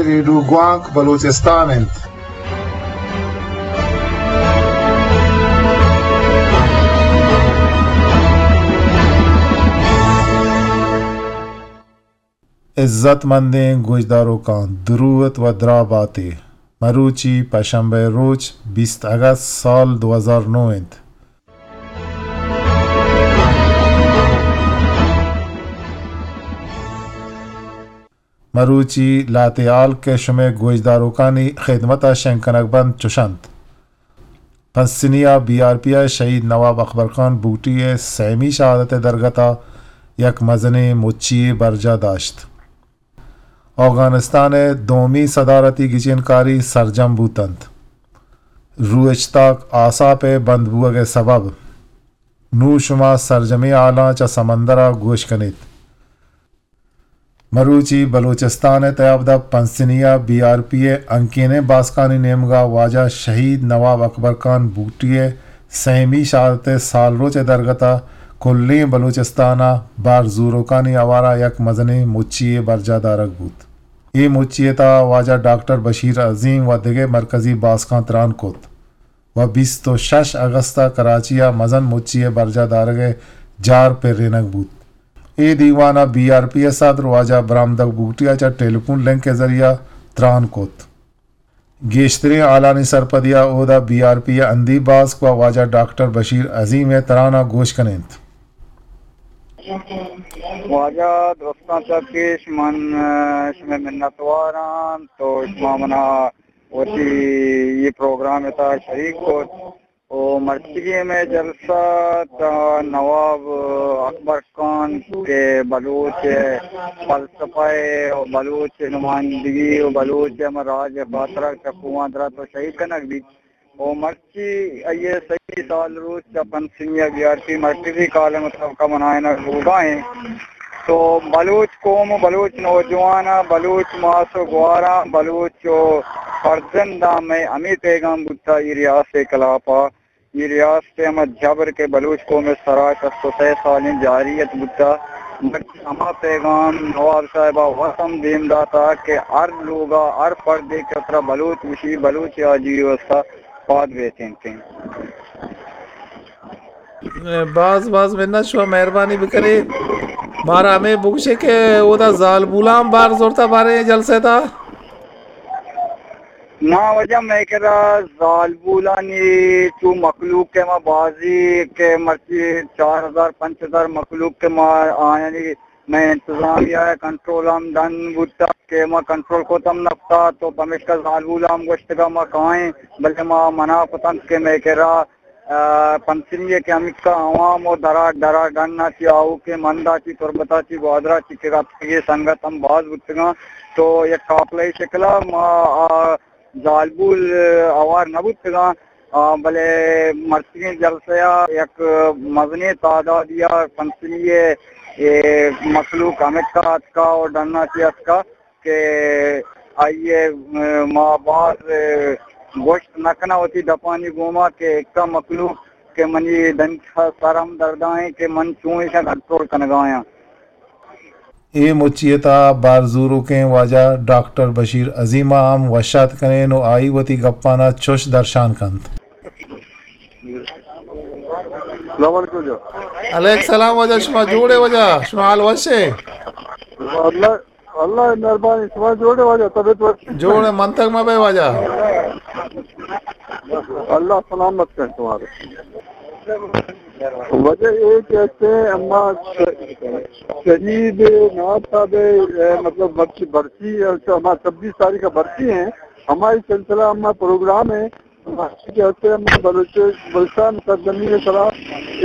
ریڈیو گوانک بلوچستان انت۔ عزت مندیں گوشداروکاں، دروت و دراہ باتے۔ مروچی پشنبہ روچ، بیست اگست سال دو ہزار نو انت۔ مروچی لہتے ہال کہ شمئے گوشداروکانی خدمت ء شنگ کنگ بنت چش انت۔ پسنی ء بی آر پی ء شہید نواب اکبر خان بگٹی ء سیمی شہادت ء درگت ء یک مزنیں مچی یے برجاہ داشت۔ اوگانستان ء دومی صدارتی گچینکاری سرجم بوت انت۔ روچتاک آساپ ء بند بوگ ء سبب۔ نوں شما سرجمیں ہالاں چہ سمندر ء گوش کن ایت۔ مروچی بلوچستان ء تیاب دپ پنسنی ء بی آر پی ء ہنکینیں باسکانی نیمگ ء واجہ شہید نواب اکبر خان بگٹی ء سیمی شہادت ء سالروچ ء درگت ء کلیں بلوچستان ء بار زوروکانی ہوار ء یک مزنیں مچی یے برجاہ دارگ بوت۔ اے مچی ء تہا واجہ ڈاکٹر بشیر عظیم و دگہ مرکزی باسکاں تران کت۔ و بیست و شش اگست ء کراچی ء مزن مچی ء برجاہ دارگ ء جار پرینگ بوت۔ اے دیوان ء بی آر پی ء صدر واجہ برامدگ بگٹی ء چہ ٹیلیفون لنک ء ذریعہ تران کت۔ گیشتریں ہالانی سرپدی ء اودا بی آر پی ء ہندی باسک و واجہ ڈاکٹر بشیر عظیم ء تران ء گوش کن انت۔ واجہ درستاں چہ پیش من، ء، شمئے منتوار آں تو شما منا وتی اے پروگرام ء تہا شریک کت۔ و مرچیگیں مئے جلسہ تاں نواب اکبر خان کہ بلوچ فلسفہ ء و بلوچ نمائندگی و بلوچ ہمے راج ء خاطر ء چکوان درات و شہید کنگ بیت۔ و مرچی آئی ء سئے سال روچ چہ پنچ سنی ء بی آر پی مرکزی کالم ء سبق ء منائینگ بوگا انت۔ تو بلوچ قوم و بلوچ نوجواناں، بلوچ ماس و گواراں، بلوچ و فرزنداں مئے ہمے پیغام بوتا اے ریاست ء خلاف ء، اے ریاست ء ہما جبر کہ بلوچ قوم ء سرا شست و سئے سالیں جاریت بوتا، مرچی ہما پیغام نواب صاحب ء وت ہم دیم داتا کہ ہر لوگ ء ہر فردے کہ ترا بلوچ گوشی، بلوچ ء آجوئی ء واستا پاد بیتینتیں۔ باز باز منت، شما مہربانی بکنے، مارا ہمے بگوشے کہ اودا زالبولاں بار زورتا باریں جلسہ تا۔ نا واجہ، مئے کرا زالبولانی چو مخلوق کہ ما بازی کہ مرچی چار ہزار پنچ ہزار مخلوق کہ ما آیانی مئے انتظامیہ ء کنٹرول ہم ڈن بوتگ کہ ما کنٹرول کت ہم نہ کتگ، تو پمیشکا زالبول ء ہم گوشتگ ما کائیں، بلے ما منع کتنت کہ مئے کرا، ء، پنچمی ء کہ ہمکا عوام و درا، درا ڈن ء چہ آؤکیں مند ء چہ تربت ء چہ گوادر ء چہ کہ اتکگیں سنگت ہم باز بوتگاں، تو یک قافلہ ء شکل ء ما آ زالبول ہوار نہ بوتگاں۔ آ، بلے مرچیگیں جلسہ ء یک مزنیں تعدادی ء پنچمی ء اے مخلوق ہمکا اتکا و ڈنا چہ اتکا کہ آئی ء ما باز گوشت نہ کناں وتی دپانی گوما کہ اکا مخلوق کہ منی دنک سر ہم دردائیں کہ من چون ایشاں کنٹرول کنگایاں۔ اے مچی ء تہا بار زوروکیں واجہ ڈاکٹر بشیر عظیم ء ہم وش آتک کنین و آئی وتی گپاں ء چش درشان کنت۔ السلام علیکم واجہ۔ علیک السلام واجہ، شما جوڑ ئے واجہ؟ شما حال وش ئے؟ اللہ، اللہ مہربانی، شما جوڑ ئے واجہ؟ طبیعت وش؟ جوڑ ئے، منتگ مہ بئے واجہ۔ اللہ سلامت کرے شمارا۔ واجہ اے کہ ہستیں اما ش-، شہید نواب صاحب ء، مطلب، مرچی برسی، اما چھبیس تاریخ ء برسی ہیں، ہماری سلسلہ اما پروگرام ہے، ہماری کہ ہستیں اما بلوچ-، بلوچستان سرزمین ء سرا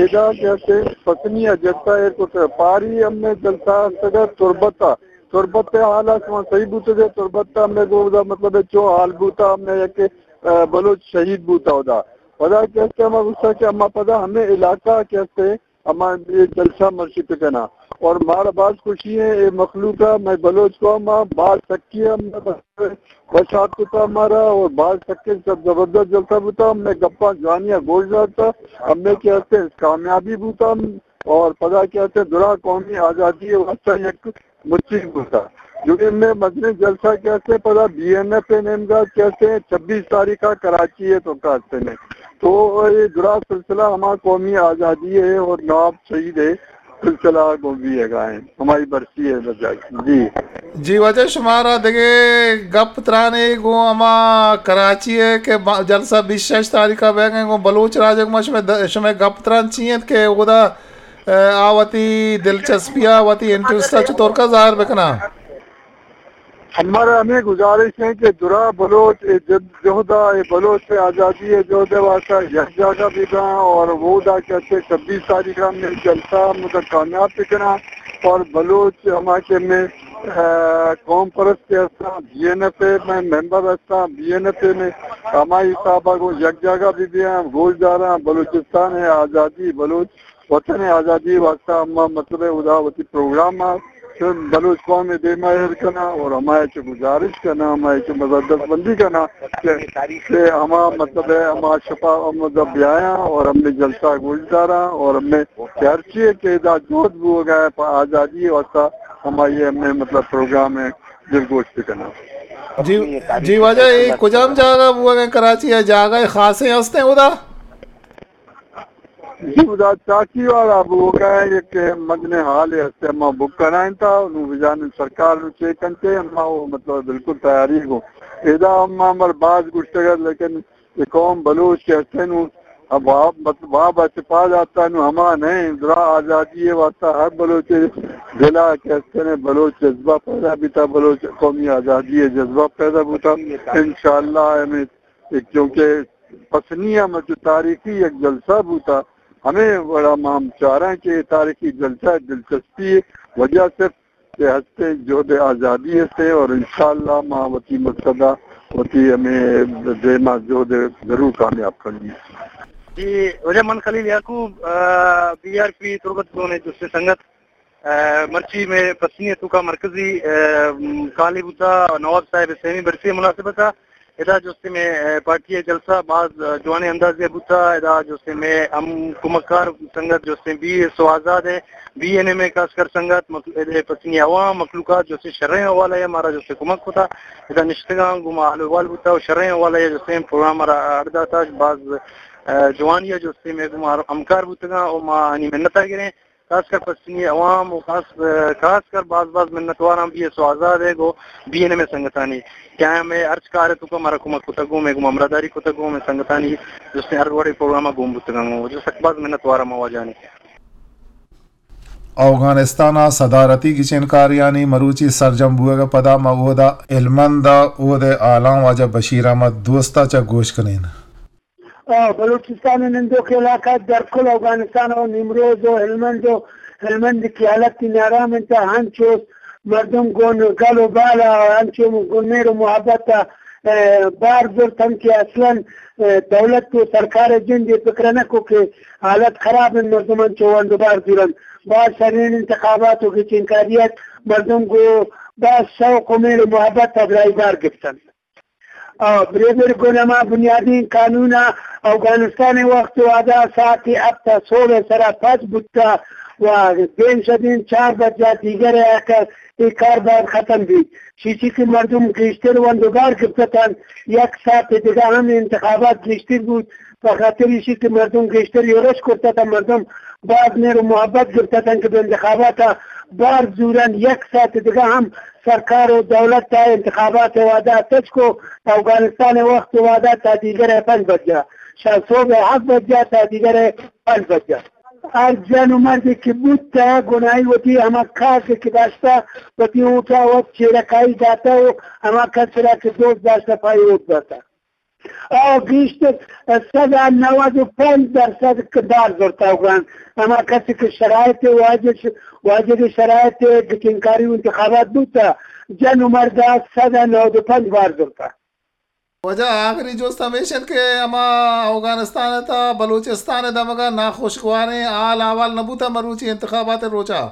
ادا کہ ہستیں پسنی ء جلسہ ایئرپورٹ ء پاری ہمیں جلسہ ہستگ ء تربت ء، تربت ء حال ء شما صحیح بوتگ ء، تربت ء ہمیں گوں ادا مطلب ہے چو حال بوتا ہمیں یک، ء، بلوچ شہید بوتا ادا۔ پدا کہ ہستیں ہما گوشتا کہ اما پدا ہمیں علاقہ کہ ہستیں ہما اے جلسہ مرشی پکناں۔ اور مارا باز خوشی ہے، اے مخلوق ء، مئے بلوچ قوم ء باز سکی ء وش آتک کتا مارا، اور باز سکیں سب زبردست جلسہ بوتا، مئے گپاں جوانی ء گوش داتا، ہمیں کہ ہستیں کامیابی بوتا، اور پدا کہ ہستیں درا قومی آزادی ء واسطہ یک مچی بوتا۔ جو ہمے مزنیں جلسہ کہ ہستیں پدا بی این ایف ءِ نیمگا کہ ہستیں چھبیس تاریخ ءَ کراچی ءِ توکا ہستیں۔ تو اے درا سلسلہ ہما قومی آزادی ءِ اور نواب شہید ءِ سلسلہ گوں بیئگا ایں، ہمائی برسی ءِ وجہ۔ جی۔ جی واجہ، شمارا دگہ گپ ترانے گوں ہما کراچی ءِ کہ با-، جلسہ بیست شش تاریخ ءَ بیگ ءَ، گوں بلوچ راج ءَ گوں شمئے د-، شمئے گپ تران چی انت کہ اودا، ءَ، آ وتی دلچسپی ءَ وتی انٹرسٹ ءَ چطور کا ظاہر بکناں؟ ہمارا ہمیں گزارش ہے کہ درا بلوچ اے جد-، جہد ءَ، اے بلوچ ءِ آزادی ءِ جہد ءِ واسطہ یک جاگہ بہ باں اور اودا کہ ہستیں چھبیس تاریخ ءَ ہمیں جلسہ مطلب کامیاب بکناں اور بلوچ ہما کہ ہمیں، ءَ، قوم پرست کہ ہستاں، بی این ایف ءِ ممبر ہستاں، بی این ایف ءِ ہمائی حساب ءَ گوں یک جاگہ بہ بیاں، گوش داراں، بلوچستان ءِ آزادی، بلوچ وطن ءِ آزادی ءِ واسطہ ہما مطلب ءَ اودا وتی پروگرام ءَ چہ بلوچ قوم ءِ دیم ءَ ایر کناں اور ہما ءَ چہ گزارش کناں، ہما ءَ چہ مطلب دستبندی کناں کہ، کہ ہما مطلب ءَ ہما شپا ہم مطلب بیایاں اور ہمے جلسہ ءَ گوش داراں اور ہمے کہ ہرچی ءَ کہ ادا جہد بوگ ءَ پہ آزادی ءِ واسطہ ہمائی ءِ ہمے مطلب پروگرام ءَ دلگوش بکناں۔ جی، جی واجہ، اے کجام جاگہ بوگ ءَ کراچی ءَ؟ جاگہ خاصیں ہستیں اودا؟ جی، ادا چاکی والا بوگ ءَ یک مزنیں ہالے ہستیں، ما بک کنائینتا، نوں بجانیں سرکار نوں چیک کنتے، ما وہ مطلب بالکل تیاری گوں۔ ادا ہم ہمر باز گوشتگ ات، لیکن یہ قوم بلوچ کہ ہستیں نوں، اب واب، مطلب واب ءَ چہ پاد آتا نوں ہما نہیں، درا آزادی ءِ واسطہ ہر بلوچ دل ءَ کہ ہستیں بلوچ جذبہ پیدا بیتا، بلوچ قومی آزادی ءِ جذبہ پیدا بوتا۔ انشاءاللہ ہمیں ایک، چونکہ پسنی ءَ مچو تاریخی یک جلسہ بوتا، ہمے وڑا ما ہم چاراں کہ اے تاریخی جلسہ ءِ دلچسپی ءِ وجہ صرف کہ ہستیں جہد آزادی ہستیں اور انشاءاللہ ما وتی مقصد ءَ وتی ہمے دیما جہد ءَ ضرور کامیاب کنیں۔ جی، واجہ من خلیل یعقوب، آ، بی آر پی تربت زون ءِ دوستیں سنگت، آ، مرچی مئے پسنی ءِ توکا مرکزی، آ، کالے بوتا نواب صاحب ءِ سیمی برسی ءِ مناسبت ءَ۔ ادا جوستیں مئے، آ، پارٹی ءِ جلسہ باز، آ، جوانیں اندازے ءَ بوتا۔ ادا جوستیں مئے ہم کمکار سنگت جوستیں بی ایس او آزاد ءِ، بی این ایم ءِ خاص کر سنگت، مخ-، ادا پسنی عوام، مخلوقات جوستیں شریں حوالہ ءَ مارا جوستیں کمک کتا۔ ادا نشتگاں گوں ما حال احوال بوتا و شریں حوالہ ءَ جوستیں پروگرام ءَ را اڈ داتا۔ باز، آ، جوانی ءَ جوستیں مئے گوں ما ہمکار بوتگاں و ما آنی منت ءَ گریں۔ خاص کر پسنی عوام و خاص، خاص کر باز باز منتواراں بی ایس او آزاد ءِ گوں بی این ایم ءِ سنگتانی کہ آیاں مئے ہرچ کار ءِ توکا مارا کمک کتگ و مئے گوں ہمراہداری کتگ و مئے سنگتانی جستیں ہر وڑیں پروگرام ءَ گون بوتگاں و جو سک باز منتواراں ما واجہانی۔ اوگانستان ءَ صدارتی گچینکاریانی مروچی سرجم بوگ ءَ پدا ما اودا ہلمند ءَ اود ءِ آلان واجہ بشیر احمد دوست ءَ چہ گوش کنین۔ آ، بلوچستان ءِ نندوک علاقہ در کل اوگانستان ءَ نیمروز ءَ ہلمند ءَ، ہلمند کہ حالت نارام انت، ہنچوش مردم گون گل و بال ءَ، ہنچو گون مہر و محبت ءَ، آ، بار زرت ہم کہ اصلاً، آ، دولت و سرکار ءِ جند ءَ فکر نہ کو کہ حالت خراب انت، مردم انچو ونڈ و بار زورنت۔ باز شرین انتخابات و گچینکاری ات، مردم گوں باز شوق و مہر و محبت ءَ برائی بار گپتنت۔ آ، بریبر گون ہما بنیادی قانون ءَ اوگانستان ءِ وخت و وہدا ساعت ہپت ءَ سہب ءِ سرا پچ بوتا و دیم شدین چار بجہ ءَ دیگر ءِ آ کار، اے کار باید ختم بیت۔ چیچی کہ مردم گیشتر ونڈ و بار گپتتن، یک ساعت دگہ ہم انتخابات گیشتر بوت، پہ خاطر ایشی کہ مردم گیشتر یورش کرتتن، مردم باز مہر و محبت گپتتن کہ بہ انتخابات ءَ بار زورن، یک ساعت دگہ ہم سرکار و دولت ءَ انتخابات ءِ وہدا تچک و اوگانستان ءِ وخت و وہدا تا دیگر ءِ پنچ بجہ، شہ سہب ءِ ہفت بجہ تا دیگر ءِ پنچ بجہ۔ ہر جن و مردے کہ بوتہ، گناہی وتی ہما کارڈ کہ داشتہ، وتی ووٹ ءَ وت چیرکائی داتہ و ہما کس را کہ دوست داشتہ، پہ آئی ووٹ داتہ۔ آ، گیشتر سد ءُ نود ءُ پنچ درسد کہ بار زرتہ اوگان۔ ہما کسی کہ شرائط واجب، واجب شرائط گچینکاری و انتخابات بوتہ، جن و مرد ءَ سد ءُ نود ءُ پنچ بار زرتہ۔ واجہ، آخری جست ہمیش انت کہ ہما اوگانستان ءِ تہا بلوچستان ءِ دمگ ءَ ناخوشگواریں حال احوال نہ بوتہ مروچی انتخابات ءِ روچ ءَ؟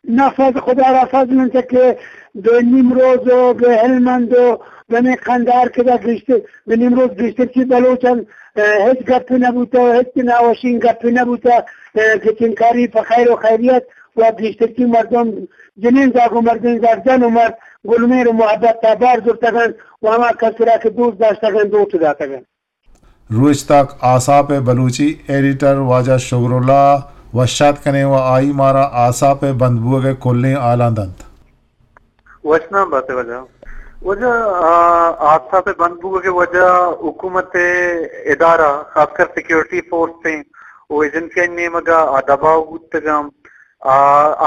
نہ، فضل، خدا را فضل انت کہ بہ نیمروز و بہ ہلمند و بہ ہمے قندھار کہ دا گیشتر، بہ نیمروز گیشتر چی بلوچ انت، ءَ، ہچ گپے نہ بوتہ و ہچ ناوشیں گپے نہ بوتہ، ءَ، گچینکاری پہ خیر و خیریت و گیشترکی مردم جنین زاگ و مردین زاگ، جن و مرد گلمیر و محبت تا بار زرتگ انت و ہما کس را کہ دوست داشتگ انت، لوٹ داتگ انت۔ روچ تاک آساپ بلوچی ایڈیٹر واجہ شگر اللہ وش آتک کنیں و آئی مارا آساپ بند بوگ ء کلیں حالاں دنت۔ وشنام بات واجہ۔ واجہ، آ، آساپ بند بوگ ء وجہ حکومت ء ادارہ، خاص کر سیکورٹی فورس ء و ایجنسی ء نیمگ ء آ دباؤ بوتگ انت۔ آ،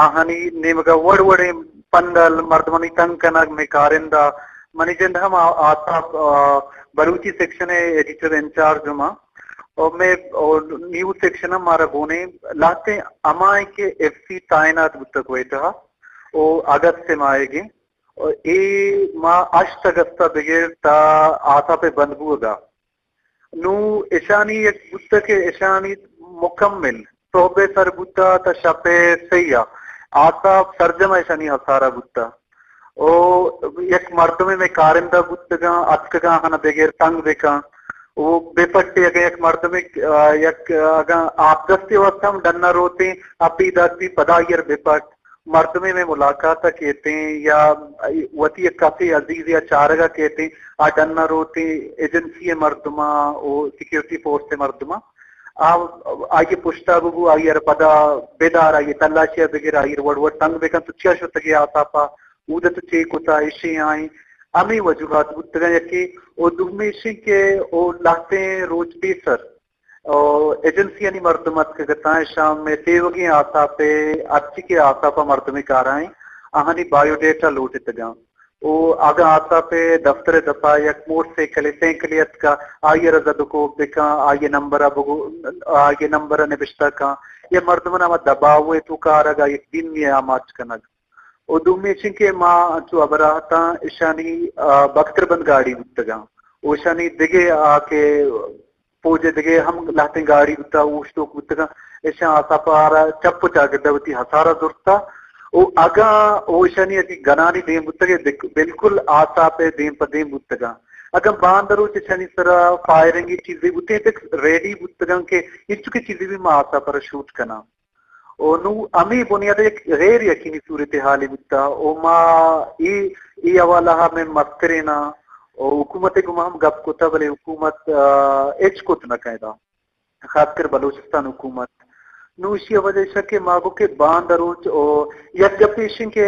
آہانی نیمگ ء وڑ وڑیں پندل، مردمانی تنگ کنگ، مئے کارندہ، منی جند ہم آ-، آساپ، آ، بلوچی سیکشن ء ایڈیٹر انچارج ہم آں۔ اور مئے، اور نیوز سیکشن ہم مارا گونیں لہتیں ہمائیں کہ ایف سی تعینات بوتگ کوئٹہ ء، او اگست ء ماہیگیں۔ اور اے ماہ ہشت اگست ء بگر تا آساپ ء بند بوگ ء۔ نوں اشانی یک بوتہ کہ اشانی مکمل سہب ء سر بوتہ تا شپ ء سہی ء آساپ سرجم ء اشانی ہسارہ بوتہ۔ او یک مردمے مئے کارندہ بوتگاں، اتکگاں ہنا بگر تنگ بکن۔ او بے پٹے اگاں یک مردمے، آ، یک، آ، اگاں آپ دستی واسطہ ہم ڈنا روتیں، اپی داتی پدا آئی ء بے پٹ۔ مردمے مئے ملاقات ء کیتیں یا وتی یک کسے عزیزے ء چارگ ء کیتیں، آ ڈن ء روتیں ایجنسی ء مردماں و سیکورٹی فورس ء مردماں، آ، آئی ء پشت ء ببو، آئی ء را پدا بدار، آئی ء تلاشی ء بگر، آئی ء را وڑ وڑ تنگ بکن، تو چیا شتگے آساپ ء، اود ء تو چے کتا، اشیں آئیں، ہمے وجوہات بوتگاں یکے، و دومی اشیں کہ او لہتیں روچ پیسر او ایجنسیانی مردم اتکگ اتاں، اشاں مئے تیوگیں آساپ ء ہرچی کہ آساپ ء مردمے کارائیں، آہانی بایو ڈیٹا لوٹتگاں۔ او اگاں آساپ ء دفتر ء دپا یک موٹر سائیکلے، سائیکلے اتکا، آئی ء را زد و کوپ بکاں، آئی ء نمبر ء بگو-، آئی ء نمبر ء نبشتہ کاں، یا مردماں ہما دباؤ ء توکا آرگ ء یک دیمی ء آماچ کنگ۔ و دومی چنکہ ما انچو ہبرا اتاں، اشانی، آ، بختر بند گاڑی بوتگاں۔ و اشانی دگہ آ کہ فوج ء دگہ ہم لہتیں گاڑی بوتہ، اوشتوک بوتگاں، اشاں آساپ ء را چپ و چاگرد ء وتی ہسار ء زرتہ۔ و اگاں او اشانی اگہ گنانی دیم بوتگ ء بک-، بالکل آساپ ء دیم پہ دیم بوتگاں۔ اگاں باند روچ اشانی سرا فائرنگی چیزے بوتیں، تک ریڈی بوتگاں کہ انچو کہ چیزے بھی ما آساپ ء را شوٹ کناں۔ و نوں ہمے بنیاد ء یک غیر یقینی صورتحالے بوتہ و ما اے، اے حوالہ ء مئے مستریناں و حکومت ء گوما ہم گپ کتہ، بلے حکومت، آ، ہچ کت نہ کنت، خاص کر بلوچستان حکومت۔ نوں ایشی ء وجہ ایش کہ ما گو کہ باند ء روچ و یک گپ ایش کہ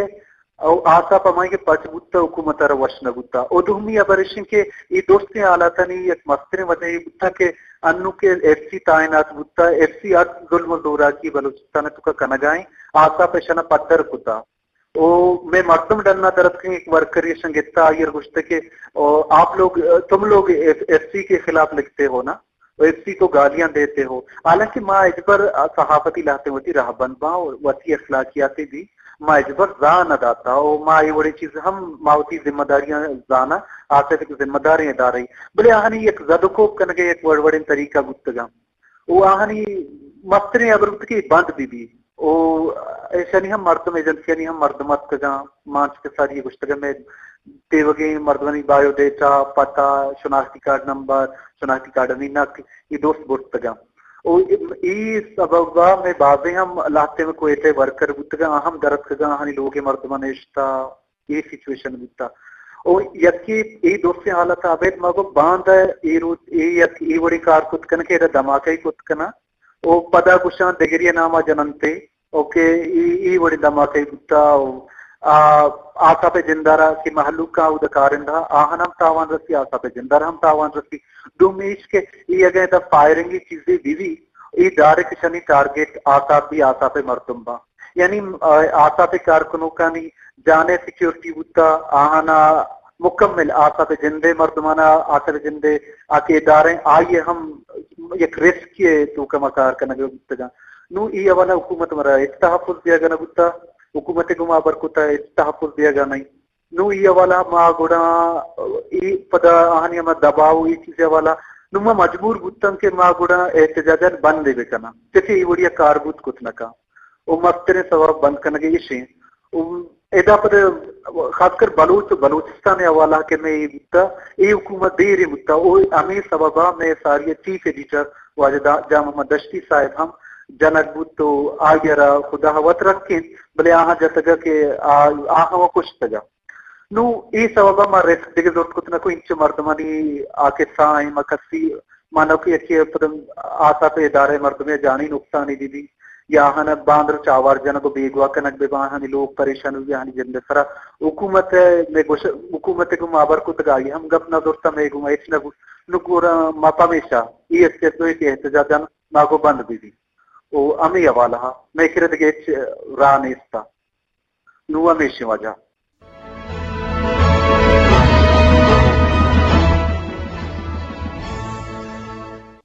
او آساپ ہمائی کہ پچ بوتہ، حکومت ء را وش نہ بوتہ۔ و دومی ہبر ایش کہ اے درستیں حالاتانی یک مستریں وجہ اے بوتہ کہ انوں کہ ایف سی تعینات بوتہ، ایف سی ہر ظلم و زوراکی بلوچستان ء توکا کنگا ایں، آساپ ایشانا پدر کتہ۔ و مئے مردم ڈنا درتکیں، یک ورکرے ایشاں گپتہ، آئی ء گوشتہ کہ او آپ لوگ، تم لوگ ایف، ایف سی کے خلاف لکھتے ہو نا؟ و ایف سی کو گالیاں دیتے ہو۔ حالانکہ ما ہچبر صحافتی لہتیں وتی رہبند باں و وتی اخلاقیاتے بھی ما ہچبر زاہ نہ داتا و ما اے وڑیں چیز ہم ما وتی ذمہ داریاں زاناں، آساپ یک ذمہ داریں ادارہ ای۔ بلے آہانی یک زد و کوپ کنگے یک وڑ وڑیں طریقہ بوتگاں و آہانی مستریں ہبر بوت کہ بند بہ بی۔ و ایشانی ہم مردم، ایجنسیانی ہم مردم اتکگاں، ما انچو کہ ساری گوشتگاں، مئے تیوگیں مردمانی بایو ڈیٹا، پتہ، شناختی کارڈ نمبر، شناختی کارڈانی نقل، اے دوست برتگاں۔ و اے سبب ء مئے بازیں ہم لہتے مئے کوئٹہ ء ورکر بوتگاں، آ ہم درتکگاں، آہانی لوگ ء مردماں نشتہ، اے سچویشن بوتہ۔ و یکے اے درستیں حالت ء ابید ما گوں باند ء اے روچ اے یک اے وڑیں کار کت کناں کہ ادا دھماکہ کت کناں۔ و پدا گوشاں دگری ء نام ء جننتے۔ اوکے، اے، اے وڑیں دھماکہ بوتہ و آ، آساپ ء جندارا کہ مہلوک آں اود ء کارندہ آہان ہم تاوان رسی، آساپ ء جندارا ہم تاوان رسی۔ دومی ایش کہ اے اگاں ادا فائرنگی چیزے بہ بی، اے ڈائریکٹ اشانی ٹارگٹ آساپ بی، آساپ ء مردم باں۔ یعنی، آ، آساپ ء کارکنوکانی جان ء سیکیورٹی بوتہ، آہانا مکمل آساپ ء جند ء مردمانا آساپ ء جند ء آ کہ ادارہ آئی ء ہم یک رسکی ء توکا ما کار کنگ ء بوتگاں۔ نوں اے حوالہ حکومت مارا ہچ تحفظ دیگ ء نہ بوتہ، حکومت ء گوما ہبر کتہ ہچ تحفظ دیگ ء نہ انت۔ نوں اے حوالہ ما گڑا اے پدا آہانی ہما دباؤ و اے چیز ء حوالہ نوں ما مجبور بوتاں کہ ما گڑا احتجاجاں بند ء بکناں، چہ کہ اے وڑیا کار بوت کت نہ کن۔ و مستریں سوب بند کنگ ء ایش انت۔ و ادا پد خاص کر بلوچ و بلوچستان ء حوالہ کہ مئے اے بوتہ، اے حکومت دیریں بوتہ، و ہمے سبب ء مئے ساری ء چیف ایڈیٹر واجہ دا-، جان محمد دشتی صاحب ہم جنگ بوت و آئی ء را خدا وت رکینت، بلے آہاں جتگ کہ آ-، آہاں و کشتگ۔ نوں اے سوب ء ما رسک دگہ زرت کت نہ کو، انچو مردمانی آ کسہ آئیں ما کسی مانو کہ یکی پد آسات ادارہ مردمے جانی نقصانی بی بی یا آہاں باندر چاوار جنگ و بیگواہ کنگ بہ باں، آہانی لوگ پریشان بہ بی، آہانی جند سرا حکومت ء مئے گوش-، حکومت ء گوں ما ہبر کتگ، آئی ہم گپ نہ زرت، مئے گوں ہچ نہ بوت۔ نوں گڑا ما پمیشا اے ایس ایچ او ء کہ احتجاج ما گوں بند بہ بی و ہمے حوالہ ء مئے کرا دگہ ہچ راہ نیست۔ نوں ہمیشیں وجہ